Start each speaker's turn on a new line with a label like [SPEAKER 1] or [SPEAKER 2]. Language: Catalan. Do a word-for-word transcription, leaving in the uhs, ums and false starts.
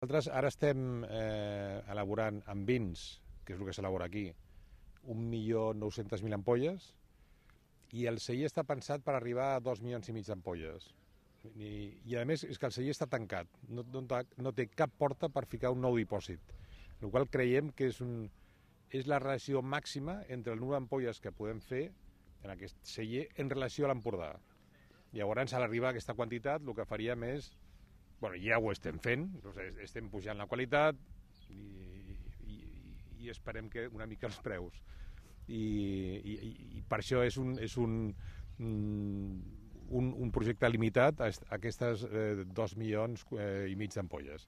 [SPEAKER 1] Nosaltres ara estem eh, elaborant amb vins, que és el que s'elabora aquí, un milió nou-cents mil ampolles, i el celler està pensat per arribar a dos milions i mig d'ampolles. I, I a més és que el celler està tancat, no, no, no té cap porta per ficar un nou dipòsit, el qual creiem que és, un, és la relació màxima entre el número d'ampolles que podem fer en aquest celler en relació a l'Empordà. Llavors, a l'arribar a aquesta quantitat, el que faríem és, bueno, ja ho estem fent, estem pujant la qualitat i, i, i esperem que una mica els preus. I, i, i per això és un, és un, un, un projecte limitat a aquestes eh, dos milions eh, i mig d'ampolles.